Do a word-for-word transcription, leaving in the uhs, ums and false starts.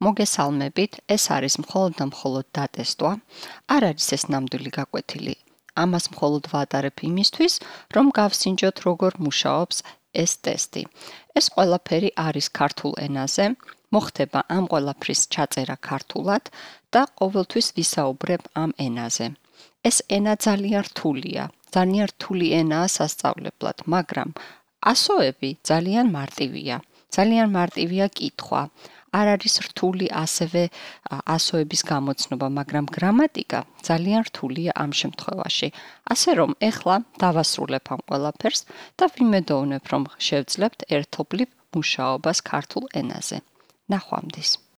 მოგესალმებით, ეს არის მხოლოდ და მხოლოდ დატესტვა, არ არის ეს ნამდვილი გაკვეთილი. ამას მხოლოდ ვატარებ იმისთვის, რომ გავსინჯოთ როგორ მუშაობს ეს ტესტი. ეს ყველაფერი არის ქართულ ენაზე, მოხდება ამ ყველაფრის ჩაწერა ქართულად და ყოველთვის ვისაუბრებ ამ ენაზე. ეს ენა ძალიან რთულია, ძალიან რთული ენაა სასწავლებლად, მაგრამ ასოები ძალიან მარტივია. ძალიან მარტივია კითხვა. არ არის რთული ასევე ასოების გამოცნობა, მაგრამ გრამატიკა ძალიან რთულია ამ შემთხვევაში. ასე რომ, ეხლა დავასრულებ ამ ყველაფერს და ვიმედოვნებ, რომ შევძლებთ ერთობლივ მუშაობას ქართულ ენაზე. ნახვამდის.